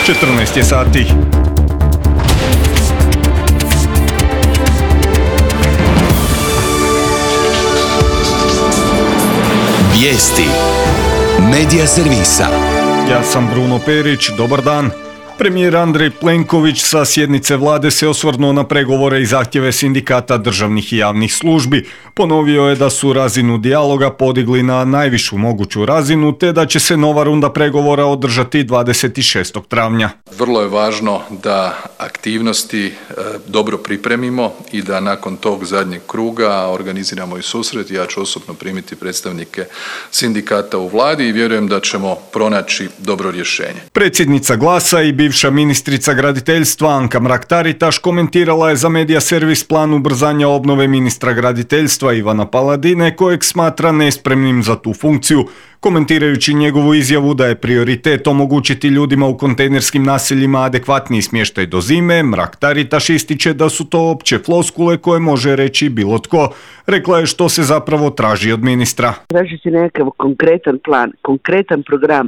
14 je sati. Vijesti Medija servisa. Ja sam Bruno Perić, dobar dan. Premijer Andrej Plenković sa sjednice vlade se osvrnuo na pregovore i zahtjeve sindikata državnih i javnih službi. Ponovio je da su razinu dijaloga podigli na najvišu moguću razinu, te da će se nova runda pregovora održati 26. travnja. Vrlo je važno da aktivnosti dobro pripremimo i da nakon tog zadnjeg kruga organiziramo i susret. Ja ću osobno primiti predstavnike sindikata u vladi i vjerujem da ćemo pronaći dobro rješenje. Predsjednica Glasa i bivša ministrica graditeljstva Anka Mrak-Taritaš komentirala je za Medija servis plan ubrzanja obnove ministra graditeljstva Ivana Paladine, kojeg smatra nespremnim za tu funkciju. Komentirajući njegovu izjavu da je prioritet omogućiti ljudima u kontejnerskim naseljima adekvatniji smještaj do zime, Mrak-Taritaš ističe da su to opće floskule koje može reći bilo tko. Rekla je što se zapravo traži od ministra. Traži se nekakav konkretan plan, konkretan program,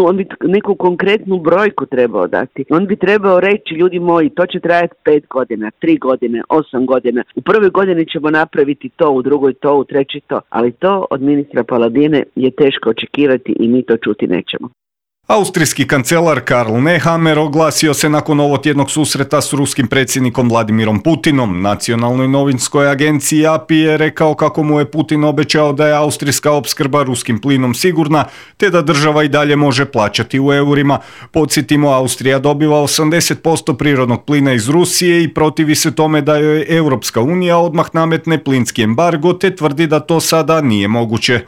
on bi neku konkretnu brojku trebao dati. On bi trebao reći, ljudi moji, to će trajati 5 godina, 3 godine, 8 godina. U prvoj godini ćemo napraviti to, u drugoj to, u trećoj to. Ali to od ministra Paladine je teško očekivati i mi to čuti nećemo. Austrijski kancelar Karl Nehammer oglasio se nakon ovotjednog susreta s ruskim predsjednikom Vladimirom Putinom. Nacionalnoj novinskoj agenciji API je rekao kako mu je Putin obećao da je austrijska opskrba ruskim plinom sigurna, te da država i dalje može plaćati u eurima. Podsjetimo, Austrija dobiva 80% prirodnog plina iz Rusije i protivi se tome da joj Europska unija odmah nametne plinski embargo, te tvrdi da to sada nije moguće.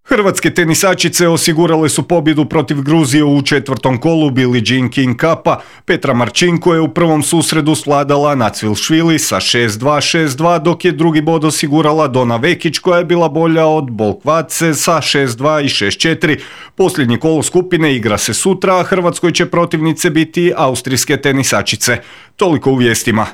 Hrvatske tenisačice osigurale su pobjedu protiv Gruzije u 4. kolu Billie Jean King Cupa. Petra Marčinko je u prvom susredu svladala Nacvilšvili sa 6-2, 6-2, dok je drugi bod osigurala Dona Vekić koja je bila bolja od Bolkvace sa 6-2 i 6-4. Posljednje kolo skupine igra se sutra, a Hrvatskoj će protivnice biti austrijske tenisačice. Toliko u vijestima.